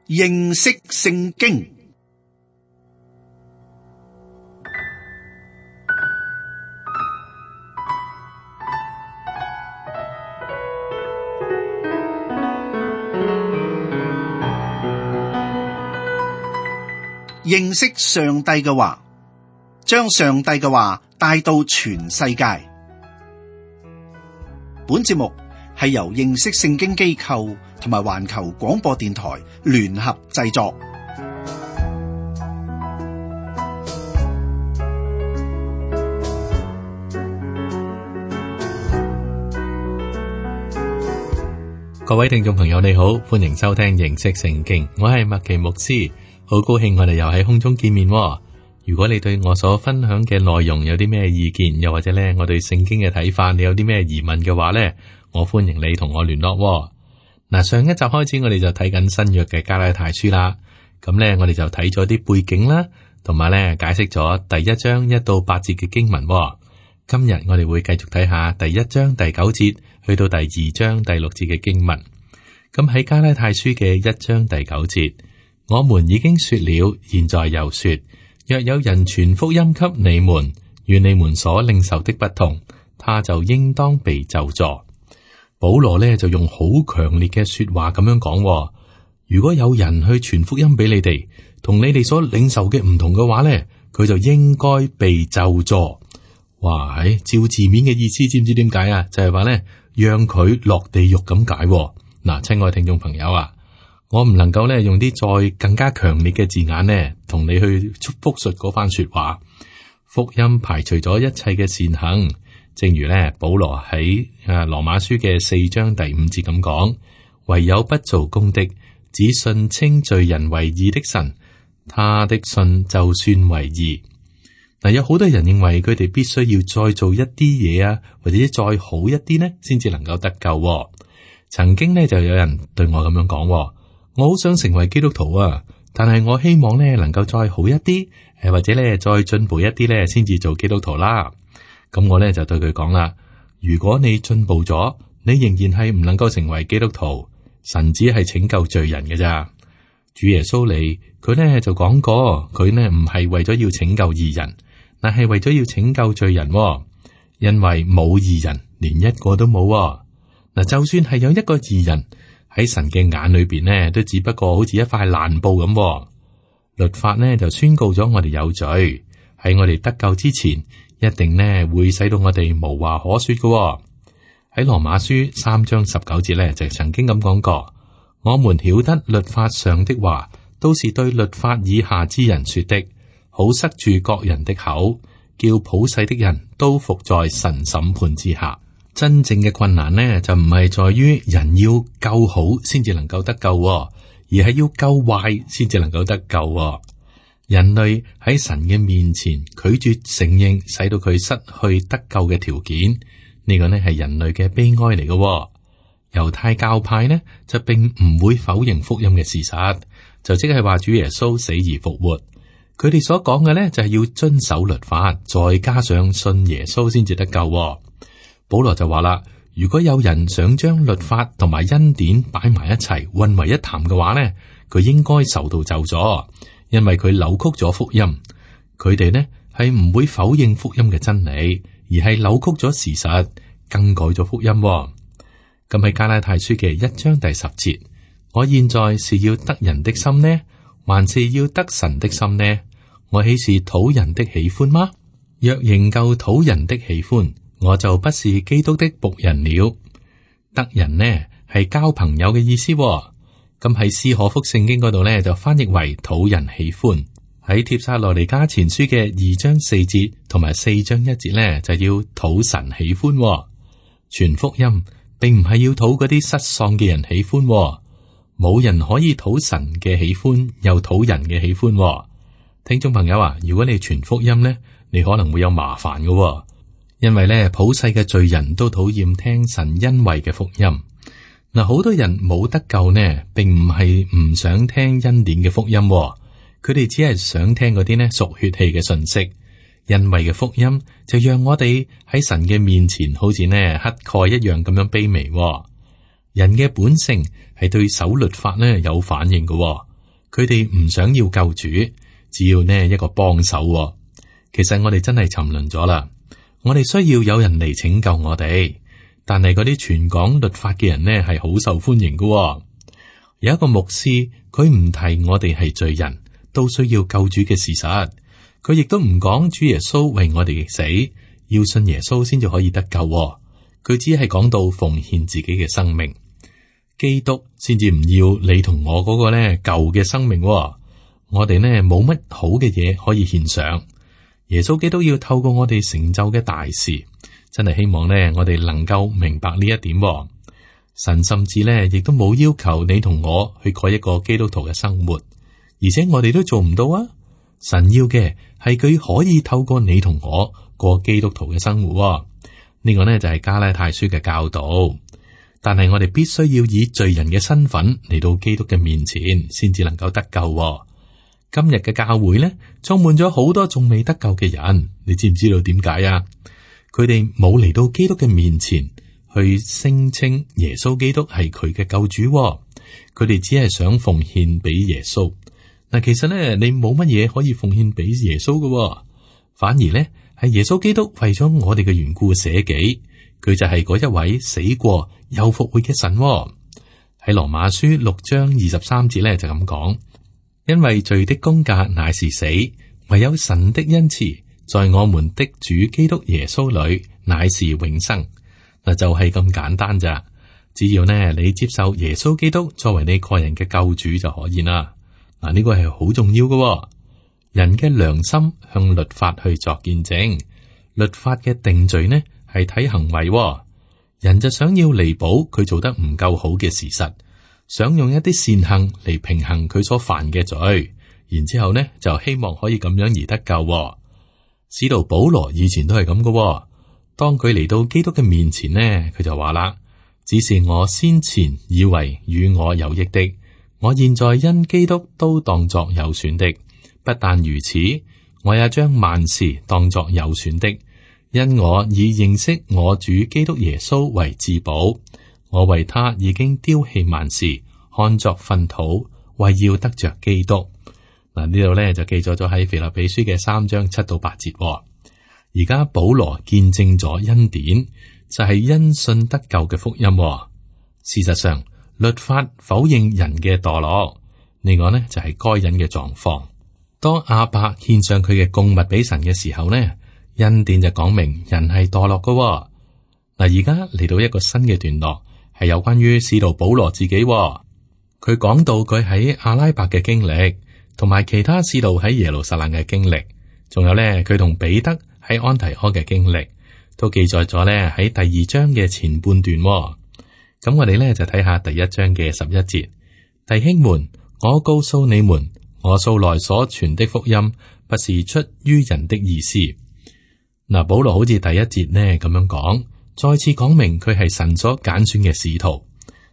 認識聖經。認識上帝嘅話，將上帝嘅話帶到全世界。本節目係由認識聖經機構同埋環球廣播電台聯合製作。各位聽眾朋友你好，歡迎收聽認識聖經，我係麥奇牧師，好高興我哋又喺空中見面。如果你對我所分享嘅內容有啲咩意見，又或者咧我對聖經嘅睇法，你有啲咩疑問嘅話咧，我歡迎你同我聯絡。嗱，上一集開始我哋就睇緊新約嘅加拉太書啦，咁咧我哋就睇咗啲背景啦，同埋咧解釋咗第一章1到8節嘅經文。今日我哋會繼續睇下第一章第9節去到第2章第6節嘅經文。咁喺加拉太書嘅1章第9節，我們已經說了，現在又說，若有人傳福音給你們，與你們所領受的不同，他就應當被咒詛。保羅呢就用好強烈嘅說話咁樣講，如果有人去傳福音俾你哋，同你哋所領受嘅唔同嘅話呢，佢就應該被咒詛。哇，照字面嘅意思，知唔知點解啊？就係話呢，讓佢落地獄咁解。嗱，親愛聽眾朋友啊，我唔能夠呢用啲再更加強烈嘅字眼呢，同你去複述嗰番說話。福音排除咗一切嘅善行，正如呢保羅喺羅馬書嘅4章第5節咁講，唯有不做工的，只信稱罪人為義的神，他的信就算為義。嗱，有好多人認為佢哋必須要再做一啲嘢啊，或者再好一啲呢，先至能夠得救。曾經呢就有人對我咁樣講，我好想成為基督徒啊，但係我希望呢能夠再好一啲，或者呢再進步一啲呢，先至做基督徒啦。咁我呢就對佢講啦，如果你進步咗，你仍然係唔能夠成為基督徒，神只係拯救罪人嘅咋。主耶穌嚟，佢呢就講過，佢呢唔係為咗要拯救義人，但係為咗要拯救罪人，因為冇義人，連一個都冇。嗱，就算係有一個義人喺神嘅眼裏邊呢，都只不過好似一塊爛布咁。律法呢就宣告咗我哋有罪，喺我哋得救之前，一定呢會使到我哋無話可說嘅。喺羅馬書3章19節呢，就曾經咁講過，我們曉得律法上的話都是對律法以下之人說的，好塞住各人的口，叫普世的人都服在神審判之下。真正嘅困難呢，就唔係在於人要夠好先至能夠得救，而係要夠壞先至能夠得救。人類喺神嘅面前拒絕承認，使到佢失去得救嘅條件，呢個呢係人類嘅悲哀嚟嘅。猶太教派呢就並唔會否認福音嘅事實，就即係話主耶穌死而復活。佢哋所講嘅呢就係要遵守律法，再加上信耶穌先至得救。保羅就話啦，如果有人想將律法同埋恩典擺埋一齊混為一談嘅話呢，佢應該受到咒詛，因為佢扭曲咗福音。佢哋呢係唔會否認福音嘅真理，而係扭曲咗事實，更改咗福音。咁喺加拉太書嘅1章第10節，我現在是要得人的心呢，還是要得神的心呢？我豈是討人的喜歡嗎？若仍舊討人的喜歡，我就不是基督的僕人了。得人呢係交朋友嘅意思。咁喺斯可福聖經嗰度呢，就翻譯為討人喜歡。喺帖撒羅尼迦前書嘅2章4節同埋4章1節呢，就要討神喜歡。傳福音並唔係要討嗰啲失喪嘅人喜歡。冇人可以討神嘅喜歡，又討人嘅喜歡。聽眾朋友啊，如果你傳福音呢，你可能會有麻煩嘅。因為咧，普世嘅罪人都討厭聽神恩惠嘅福音。嗱，好多人冇得救呢，並唔係唔想聽恩典嘅福音，佢哋只係想聽嗰啲呢屬血氣嘅信息。恩惠嘅福音就讓我哋喺神嘅面前，好似呢乞丐一樣咁樣卑微。人嘅本性係對守律法呢有反應嘅，佢哋唔想要救主，只要呢一個幫手喎。其實我哋真係沉淪咗啦，我哋需要有人嚟拯救我哋。但係嗰啲傳講律法嘅人呢，係好受歡迎嘅喎。有一個牧師，佢唔提我哋係罪人，都需要救主嘅事實。佢亦都唔講主耶穌為我哋死，要信耶穌先至可以得救喎。佢只係講到奉獻自己嘅生命，基督先至唔要你同我嗰個呢舊嘅生命喎。我哋呢冇乜好嘅嘢可以獻上，耶穌基督要透過我哋成就嘅大事。真係希望呢，我哋能夠明白呢一點喎。神甚至呢，亦都冇要求你同我去過一個基督徒嘅生活，而且我哋都做唔到啊。神要嘅係佢可以透過你同我過基督徒嘅生活喎。呢個呢，就係加拉太書嘅教導。但係我哋必須要以罪人嘅身份嚟到基督嘅面前，先至能夠得救喎。今日嘅教會呢，充滿咗好多仲未得救嘅人，你知唔知道點解啊？佢哋冇嚟到基督嘅面前去聲稱耶穌基督係佢嘅救主喎，佢哋只係想奉獻俾耶穌。嗱，其實咧，你冇乜嘢可以奉獻俾耶穌嘅喎，反而咧係耶穌基督為咗我哋嘅緣故捨己，佢就係嗰一位死過又復活嘅神喎。喺羅馬書6章23節咧就咁講，因為罪的工價乃是死，唯有神的恩慈在我們的主基督耶穌裏乃是永生。嗱，就係咁簡單咋，只要呢你接受耶穌基督作為你個人嘅救主就可以啦。嗱，呢個係好重要嘅喎。人嘅良心向律法去作見證，律法嘅定罪呢係睇行為喎。人就想要彌補佢做得唔夠好嘅事實，想用一啲善行嚟平衡佢所犯嘅罪，然之後呢就希望可以咁樣而得救喎。使徒保羅以前都係咁嘅，當佢嚟到基督嘅面前呢，佢就話啦：只是我先前以為與我有益的，我現在因基督都當作有損的。不但如此，我也將萬事當作有損的，因我以認識我主基督耶穌為至寶。我為他已經丟棄萬事，看作糞土，為要得着基督。嗱，呢度咧就記載咗喺腓立比書嘅3章7到8節。而家保羅見證咗恩典，就係因信得救嘅福音。事實上，律法否認人嘅墮落，呢個呢就係該隱嘅狀況。當亞伯獻上佢嘅供物俾神嘅時候呢，恩典就講明人係墮落嘅。嗱，而家嚟到一個新嘅段落，係有關於使徒保羅自己。佢講到佢喺阿拉伯嘅經歷，同埋其他使徒喺耶路撒冷嘅經歷，仲有咧佢同彼得喺安提阿嘅經歷，都記載咗咧喺第2章嘅前半段。咁我哋咧就睇下第1章嘅11節，弟兄們，我告訴你們，我素來所傳的福音，不是出於人的意思。嗱，保羅好似第1節呢咁樣講，再次講明佢係神所揀選嘅使徒。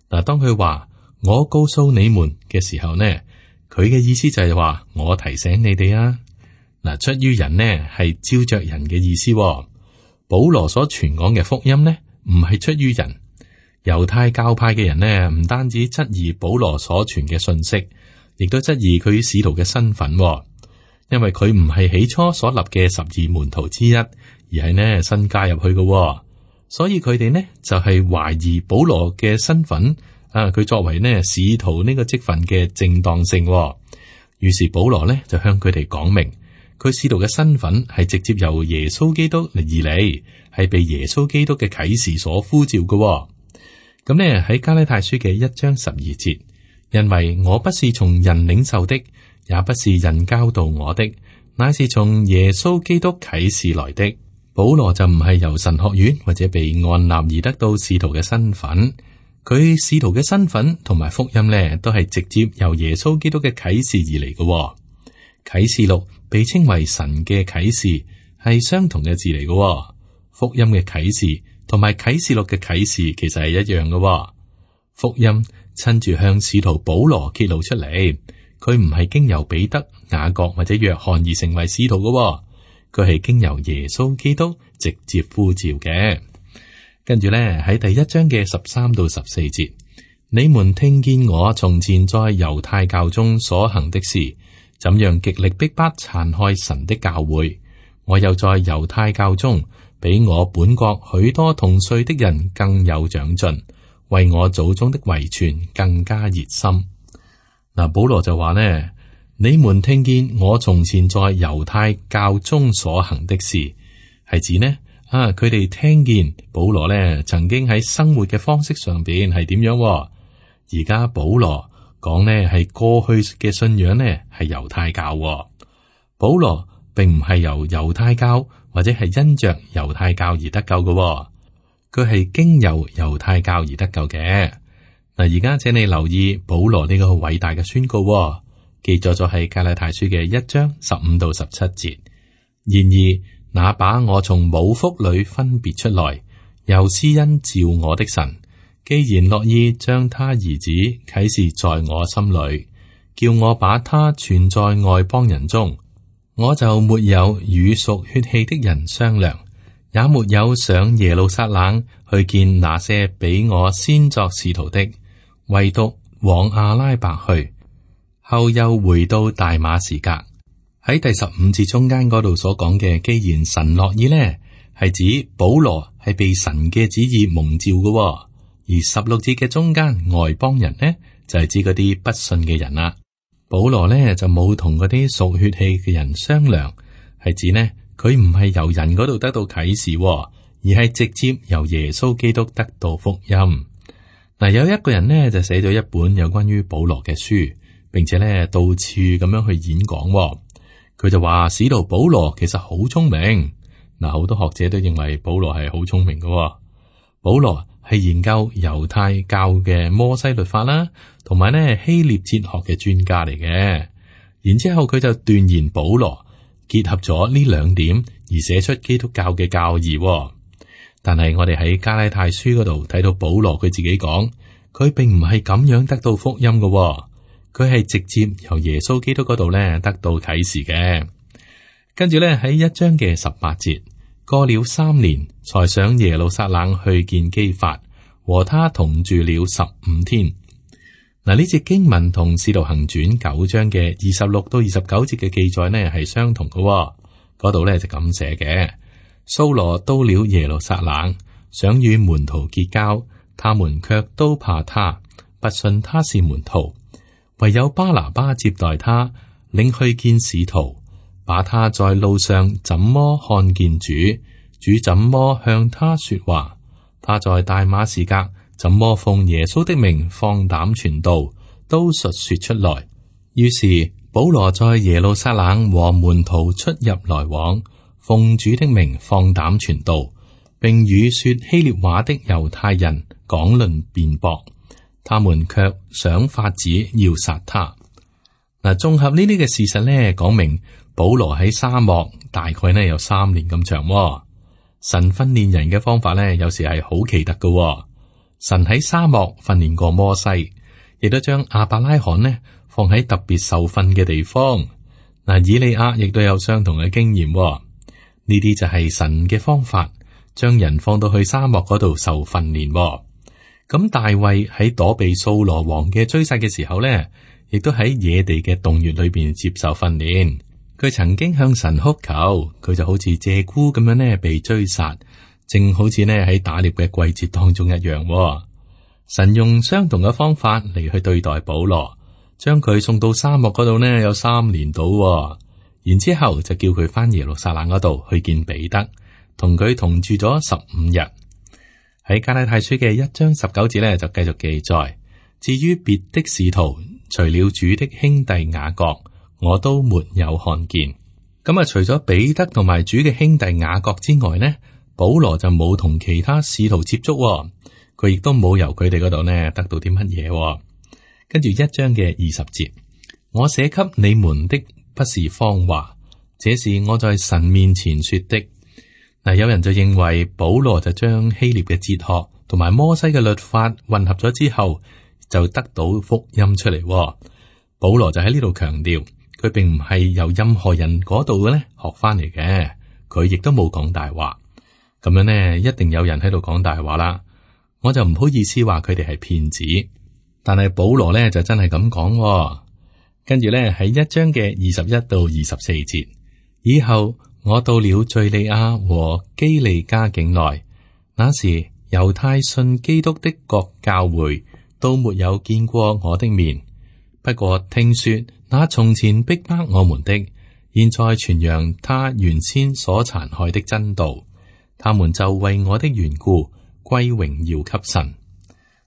嗱，當佢話我告訴你們嘅時候呢，佢嘅意思就係話我提醒你哋啊。嗱，出於人呢係照着人嘅意思。保羅所傳講嘅福音呢，唔係出於人。猶太教派嘅人呢，唔單止質疑保羅所傳嘅信息，亦都質疑佢使徒嘅身份。因為佢唔係起初所立嘅12門徒之一，而係呢新加入去嘅，所以佢哋呢就係懷疑保羅嘅身份。佢作為呢使徒呢個職分嘅正當性。於是保羅呢就向佢哋講明，佢使徒嘅身份係直接由耶穌基督而嚟，係被耶穌基督嘅啟示所呼召嘅。咁呢喺加拉太書嘅1章12節，因為我不是從人領受的，也不是人教導我的，乃是從耶穌基督啟示來的。保羅就唔係由神學院或者被按立而得到使徒嘅身份。佢使徒嘅身份同埋福音呢，都係直接由耶穌基督嘅啟示而嚟嘅。啟示錄被稱為神嘅啟示，係相同嘅字嚟嘅。福音嘅啟示同埋啟示錄嘅啟示其實係一樣嘅。福音親自向使徒保羅揭露出嚟，佢唔係經由彼得、雅各或者約翰而成為使徒嘅，佢係經由耶穌基督直接呼召嘅。跟住咧喺第1章嘅13到14節，你們聽見我從前在猶太教中所行的事，怎樣極力逼迫殘害神的教會。我又在猶太教中比我本國許多同歲的人更有長進，為我祖宗的遺傳更加熱心。嗱，保羅就話呢，你們聽見我從前在猶太教中所行的事，係指呢佢哋聽見保羅呢曾經喺生活嘅方式上邊係點樣。而家保羅講呢係過去嘅信仰呢係猶太教。保羅並唔係由猶太教或者係因着猶太教而得救嘅，佢係經由猶太教而得救嘅。嗱，而家請你留意保羅呢個偉大嘅宣告，記載咗喺加拉太書嘅1章15到17節。然而，那把我從母腹裏分別出來，又施恩召我的神，既然樂意將他兒子啟示在我心裏，叫我把他傳在外邦人中，我就沒有與屬血氣的人商量，也沒有上耶路撒冷去見那些比我先作使徒的，唯獨往阿拉伯去，後又回到大馬士革。喺第15節中間嗰度所講嘅，既然神樂意呢，係指保羅係被神嘅旨意蒙召嘅。而16節嘅中間外邦人呢，就係指嗰啲不信嘅人啦。保羅呢就冇同嗰啲屬血氣嘅人商量，係指呢佢唔係由人嗰度得到啟示，而係直接由耶穌基督得到福音。嗱，有一個人呢就寫咗一本有關於保羅嘅書，並且呢到處咁樣去演講。佢就話使徒保羅其實好聰明。嗱，好多學者都認為保羅係好聰明嘅。保羅係研究猶太教嘅摩西律法啦，同埋呢希臘哲學嘅專家嚟嘅。然之後佢就斷言保羅結合咗呢2點而寫出基督教嘅教義。但係我哋喺加拉太書嗰度睇到保羅佢自己講，佢並唔係咁樣得到福音嘅，佢係直接由耶穌基督嗰度呢得到啟示嘅。跟住呢喺1章嘅18節。過了3年，才上耶路撒冷去見基法，和他同住了15天。嗱，呢節經文同使徒行傳9章嘅26到29節嘅記載呢係相同嘅。嗰度呢就咁寫嘅：掃羅到了耶路撒冷，想與門徒結交，他們卻都怕他，不信他是門徒。唯有巴拿巴接待他，領去見使徒。把他在路上怎麼看見主，主怎麼向他說話，他在大馬士革怎麼奉耶穌的名放膽傳道，都述說出來。於是保羅在耶路撒冷和門徒出入來往，奉主的名放膽傳道，並與說希臘話的猶太人講論辯駁，他們卻想法子要殺他。嗱，綜合呢啲嘅事實呢，講明保羅喺沙漠大概呢有3年咁長。神訓練人嘅方法呢，有時係好奇特嘅。神喺沙漠訓練過摩西，亦都將亞伯拉罕呢放喺特別受訓嘅地方。嗱，以利亞亦都有相同嘅經驗。呢啲就係神嘅方法，將人放到去沙漠嗰度受訓練。咁大衛喺躲避掃羅王嘅追殺嘅時候呢，亦都喺野地嘅洞穴裏邊接受訓練。佢曾經向神哭求，佢就好似鷓鴣咁樣呢被追殺，正好似呢喺打獵嘅季節當中一樣。神用相同嘅方法嚟去對待保羅，將佢送到沙漠嗰度呢有3年到，然之後就叫佢翻耶路撒冷嗰度去見彼得，同佢同住咗15日。喺加拉太書嘅1章19節呢就繼續記載，至於別的使徒，除了主的兄弟雅各，我都沒有看見。咁啊，除咗彼得同埋主嘅兄弟雅各之外呢，保羅就冇同其他使徒接觸，佢亦都冇由佢哋嗰度呢得到啲乜嘢。跟住1章嘅20節，我寫給你們的不是謊話，這是我在神面前說的。嗱，有人就認為保羅就將希臘嘅哲學同埋摩西嘅律法混合咗之後，就得到福音出嚟。保羅就喺呢度強調，佢並唔係由任何人嗰度咧學翻嚟嘅，佢亦都冇講大話。咁樣呢，一定有人喺度講大話啦。我就唔好意思話佢哋係騙子。但係保羅咧就真係咁講，跟住咧喺1章嘅21到24節，以後我到了敘利亞和基利家境內，那時猶太信基督的各教會都沒有見過我的面，不過聽說那從前逼迫我們的，現在傳揚他原先所殘害的真道，他們就為我的緣故歸榮耀給神。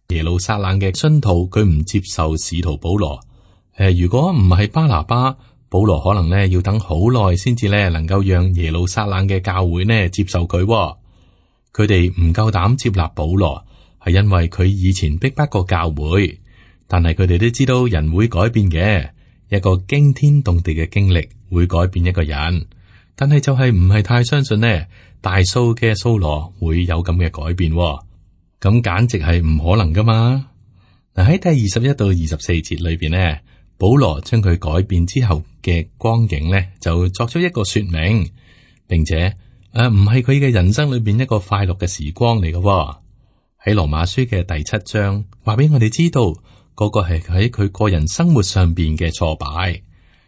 耶路撒冷嘅信徒佢唔接受使徒保羅，如果唔係巴拿巴，保羅可能咧要等好耐先至咧能夠讓耶路撒冷嘅教會呢接受佢。佢哋唔夠膽接納保羅，係因為佢以前逼迫過教會，但係佢哋都知道人會改變嘅，一個驚天動地嘅經歷會改變一個人，但係就係唔係太相信呢大數嘅掃羅會有咁嘅改變，咁簡直係唔可能噶嘛。嗱，喺第21到24節裏邊呢，保羅將佢改變之後嘅光景呢，就作出一個說明，並且唔係佢嘅人生裏邊一個快樂嘅時光嚟嘅。喺羅馬書嘅第7章話俾我哋知道，嗰個係喺佢個人生活上邊嘅挫敗。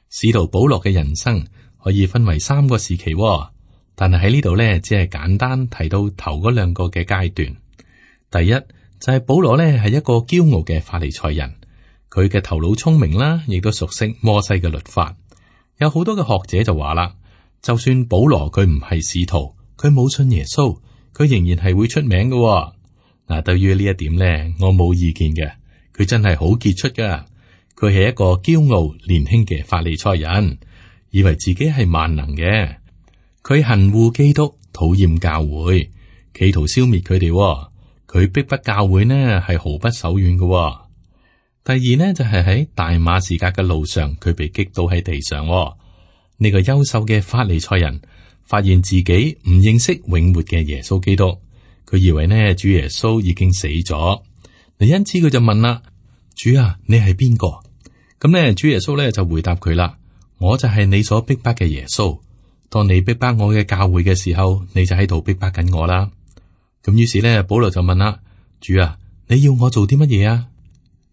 使徒保羅嘅人生可以分為3個時期，但係喺呢度呢，只係簡單提到頭嗰2個嘅階段。第一就係保羅呢係一個驕傲嘅法利賽人，佢嘅頭腦聰明啦，亦都熟悉摩西嘅律法。有好多嘅學者就話啦，就算保羅佢唔係使徒，佢冇信耶穌，佢仍然係會出名嘅。嗱，對於呢一點呢，我冇意見嘅。佢真係好傑出噶，佢係一個驕傲年輕嘅法利賽人，以為自己係萬能嘅。佢恨惡基督，討厭教會，企圖消滅佢哋。佢逼迫教會呢係毫不手軟嘅。第二呢就係喺大馬士革嘅路上，佢被擊倒喺地上。呢個優秀嘅法利賽人發現自己唔認識永活嘅耶穌基督，佢以為呢主耶穌已經死咗。因此佢就問啦：主啊，你係邊個？咁呢主耶穌呢就回答佢啦：我就係你所逼迫嘅耶穌。當你逼迫我嘅教會嘅時候，你就喺度逼迫緊我啦。咁於是呢，保羅就問啦：主啊，你要我做啲乜嘢啊？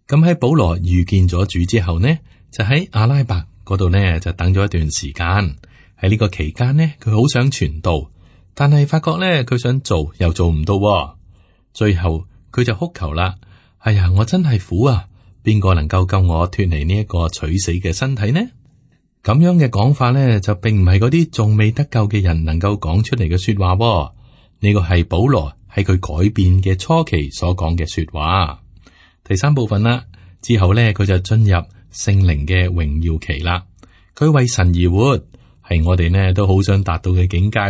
咁喺保羅遇見咗主之後呢，就喺阿拉伯嗰度呢就等咗一段時間。喺呢個期間呢，佢好想傳道，但係發覺呢，佢想做又做唔到。最後佢就哭求啦：哎呀，我真係苦啊！邊個能夠救我脫離呢一個取死嘅身體呢？咁樣嘅講法呢，就並唔係嗰啲仲未得救嘅人能夠講出嚟嘅說話。呢個係保羅喺佢改變嘅初期所講嘅說話。第3部分啦，之後呢，佢就進入聖靈嘅榮耀期啦。佢為神而活，係我哋呢都好想達到嘅境界。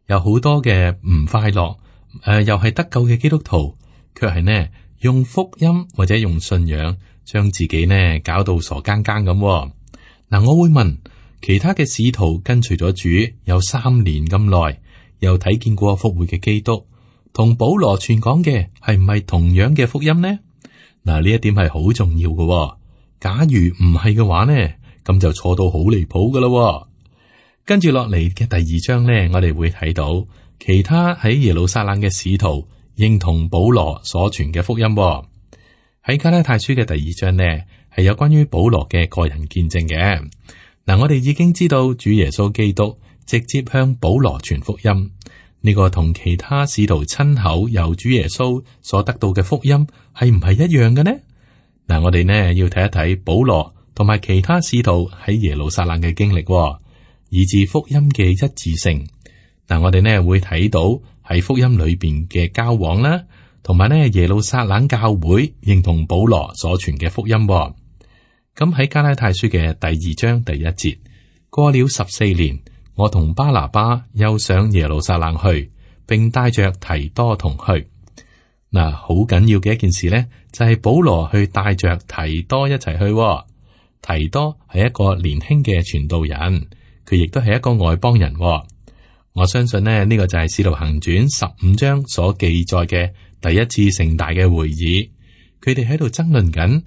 有好多嘅唔快樂，又係得救嘅基督徒，卻係呢用福音或者用信仰將自己呢搞到傻更更咁。嗱，我會問其他嘅使徒跟隨咗主有3年咁耐，又睇見過復活嘅基督，同保羅傳講嘅係唔係同樣嘅福音呢？嗱，呢一點係好重要嘅。假如唔係嘅話呢，咁就錯到好離譜噶啦。跟住落嚟嘅第2章呢，我哋會睇到其他喺耶路撒冷嘅使徒認同保羅所傳嘅福音。喺加拉太書嘅第2章呢，係有關於保羅嘅個人見證嘅。嗱，我哋已經知道主耶穌基督直接向保羅傳福音，呢個同其他使徒親口由主耶穌所得到嘅福音係唔係一樣嘅呢？嗱，我哋呢要睇一睇保羅同埋其他使徒喺耶路撒冷嘅經歷，以致福音嘅一致性。嗱，我哋呢會睇到喺福音裏邊嘅交往啦，同埋呢耶路撒冷教會認同保羅所傳嘅福音。咁喺加拉太書嘅第2章第1節，過了14年，我同巴拿巴又上耶路撒冷去，並帶着提多同去。嗱，好緊要嘅一件事呢，就係保羅去帶着提多一齊去。提多係一個年輕嘅傳道人，佢亦都係一個外邦人。我相信呢個就係使徒行傳15章所記載嘅第一次盛大嘅會議。佢哋喺度爭論緊。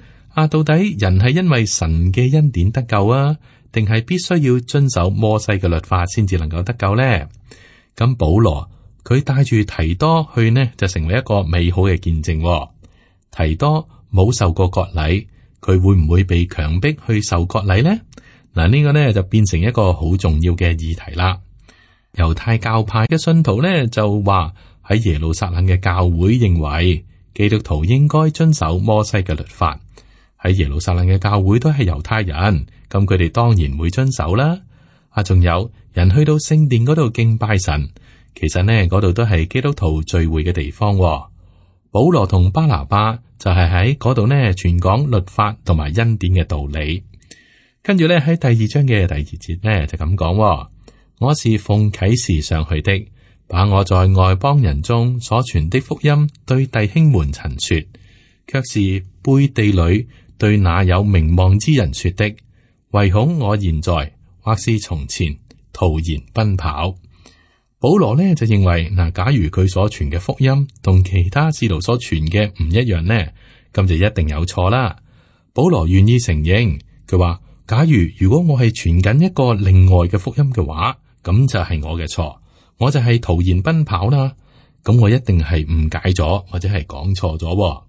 到底人係因為神嘅恩典得救啊，定係必須要遵守摩西嘅律法先至能夠得救呢？咁保羅佢帶住提多去呢，就成為一個美好嘅見證。提多冇受過割禮，佢會唔會被強迫去受割禮呢？嗱，呢個呢就變成一個好重要嘅議題啦。猶太教派嘅信徒呢就話喺耶路撒冷嘅教會認為基督徒應該遵守摩西嘅律法。喺耶路撒冷嘅教會都係猶太人，咁佢哋當然會遵守啦。仲有人去到聖殿嗰度敬拜神，其實呢嗰度都係基督徒聚會嘅地方。保羅同巴拿巴就係喺嗰度呢傳講律法同埋恩典嘅道理。跟住呢喺第二章嘅第二節呢就咁講：我是奉啟示上去的，把我在外邦人中所傳的福音對弟兄們陳說，卻是背地裏對那有名望之人說的，唯恐我現在或是從前徒然奔跑。保羅呢就認為嗱，假如佢所傳嘅福音同其他使徒所傳嘅唔一樣呢，咁就一定有錯啦。保羅願意承認，佢話：假如果我係傳緊一個另外嘅福音嘅話，咁就係我嘅錯，我就係徒然奔跑啦。咁我一定係誤解咗或者係講錯咗。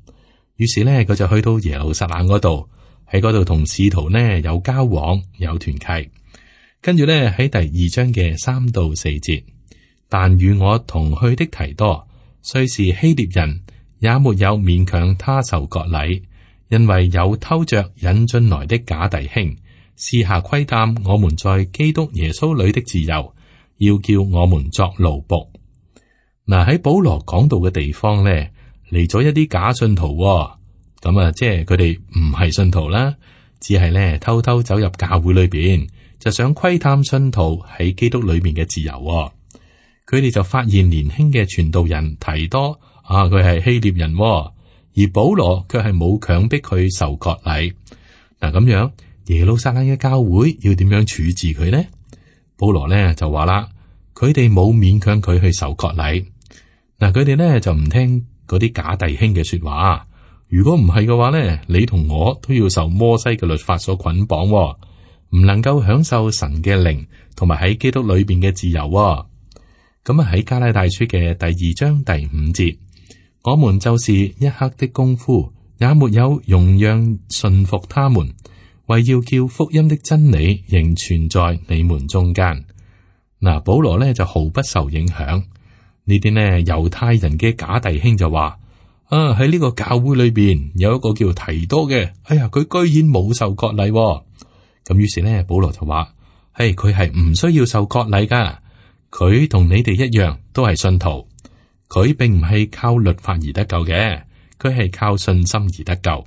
於是呢，佢就去到耶路撒冷嗰度，喺嗰度同使徒呢有交往有團契。跟住呢喺第二章嘅3到4節。但與我同去的提多，雖是希臘人，也沒有勉強他受割禮，因為有偷着引進來的假弟兄，私下窺探我們在基督耶穌裏的自由，要叫我們作奴僕。嗱，喺保羅講道嘅地方呢，嚟咗一啲假信徒，咁即係佢哋唔係信徒啦，只係呢偷偷走入教會裏邊，就想窺探信徒喺基督裏面嘅自由。佢哋就發現年輕嘅傳道人提多佢係希臘人，而保羅卻係冇強迫佢受割禮。嗱，咁樣耶路撒冷嘅教會要點樣處置佢呢？保羅呢就話啦，佢哋冇勉強佢去受割禮。嗱，佢哋呢就唔聽嗰啲假弟兄嘅說話。如果唔係嘅話呢，你同我都要受摩西嘅律法所捆綁，唔能夠享受神嘅靈同埋喺基督裏邊嘅自由。咁喺加拉太書嘅第2章第5節，我們就是一刻的功夫，也沒有容讓順服他們，為要叫福音的真理仍存在你們中間。嗱，保羅呢就毫不受影響。呢啲呢猶太人嘅假弟兄就話：喺呢個教會裏邊有一個叫提多嘅，哎呀，佢居然冇受割禮。咁於是呢，保羅就話：佢係唔需要受割禮噶。佢同你哋一樣都係信徒，佢並唔係靠律法而得救嘅，佢係靠信心而得救。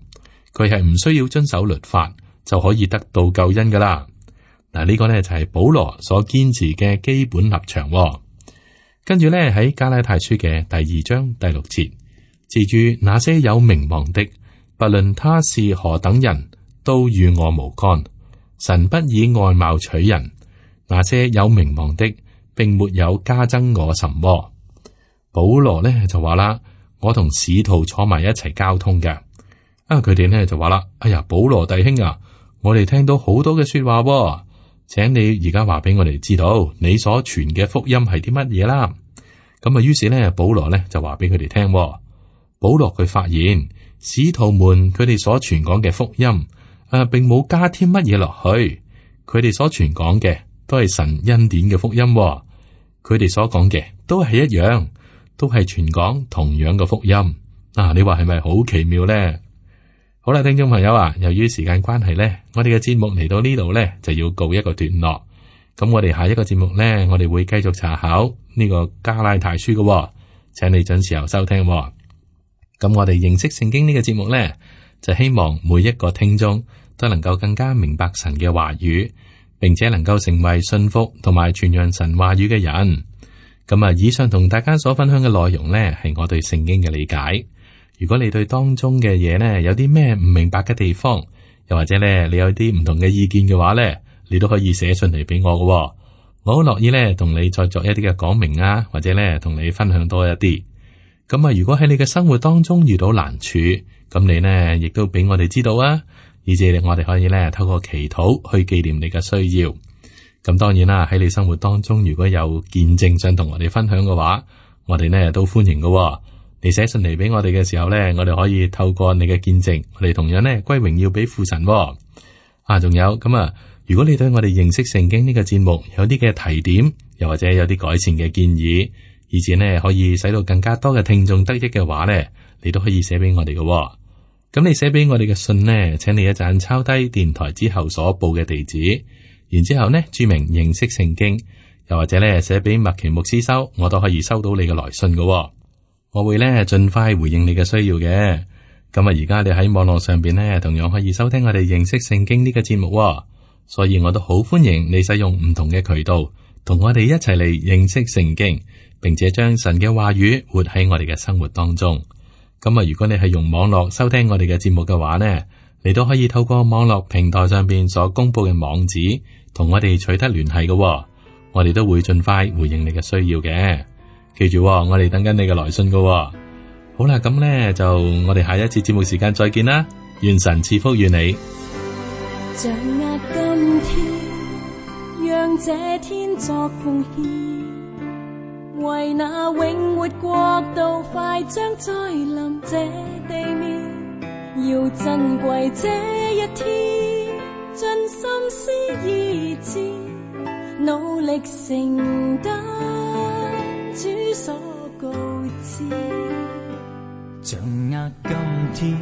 佢係唔需要遵守律法就可以得到救恩噶啦。嗱，呢個呢就係保羅所堅持嘅基本立場。跟住呢喺加拉太書嘅第2章第6節，至於那些有名望的，不論他是何等人，都與我無干。神不以外貌取人，那些有名望的，並沒有加增我什麼。保羅呢就話啦，我同使徒坐埋一齊交通嘅。佢哋呢就話啦，哎呀，保羅弟兄啊，我哋聽到好多嘅說話，請你而家話俾我哋知道，你所傳嘅福音係啲乜嘢啦。咁於是呢，保羅呢就話俾佢哋聽。保羅佢發現使徒們佢哋所傳講嘅福音，並冇加添乜嘢落去，佢哋所傳講嘅都係神恩典嘅福音。佢哋所講嘅都係一樣，都係傳講同樣嘅福音。你話係咪好奇妙呢？好啦，聽眾朋友啊，由於時間關係呢，我哋嘅節目嚟到呢度呢，就要告一個段落。咁我哋下一個節目呢，我哋會繼續查考呢個加拉太書嘅，請你準時候收聽。咁我哋認識聖經呢個節目呢，就希望每一個聽眾都能夠更加明白神嘅話語，並且能夠成為信服同埋傳揚神話語嘅人。咁以上同大家所分享嘅內容呢，係我對聖經嘅理解。如果你對當中嘅嘢呢，有啲咩唔明白嘅地方，又或者呢，你有啲唔同嘅意見嘅話呢，你都可以寫信嚟俾我嘅。我好樂意呢，同你再作一啲嘅講明啊，或者呢，同你分享多一啲。咁如果喺你嘅生活當中遇到難處，咁你呢亦都俾我哋知道啊，以至我哋可以呢透過祈禱去紀念你嘅需要。咁當然啦，喺你生活當中如果有見證想同我哋分享嘅話，我哋呢都歡迎嘅。你寫信嚟俾我哋嘅時候呢，我哋可以透過你嘅見證，我哋同樣呢歸榮耀俾父神。仲有咁啊，如果你對我哋認識聖經呢個節目有啲嘅提點，又或者有啲改善嘅建議，以至呢可以使到更加多嘅聽眾得益嘅話呢，你都可以寫俾我哋嘅。咁你寫俾我哋嘅信呢，請你一陣抄低電台之後所報嘅地址，然之後呢注明認識聖經，又或者呢寫俾麥奇牧師收，我都可以收到你嘅來信嘅。我會呢盡快回應你嘅需要嘅。咁啊，而家你喺網絡上邊呢，同樣可以收聽我哋認識聖經呢個節目，所以我都好歡迎你使用唔同嘅渠道，同我哋一齊嚟認識聖經，並且將神嘅話語活喺我哋嘅生活當中。咁啊，如果你係用網絡收聽我哋嘅節目嘅話呢，你都可以透過網絡平台上邊所公布嘅網址，同我哋取得聯繫嘅。我哋都會盡快回應你嘅需要嘅。記住，我哋等緊你嘅來信嘅。好啦，咁呢就我哋下一次節目時間再見啦。願神賜福與你。掌握今天，讓這天作奉獻，為那永活國度快將再臨這地面，要珍貴這一天，盡心思意志，努力承擔主所告知。掌握今天，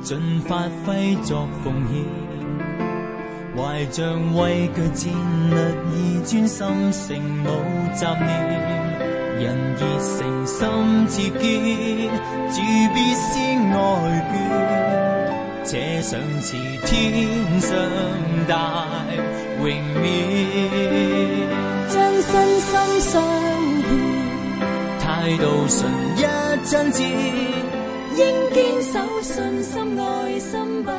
盡發揮作奉獻，懷着畏懼戰略而專心誠無雜念，人熱誠心切堅，主必先愛眷，且想似天上大榮冕，將身心相獻，態度純一真摯，應堅守信心愛心不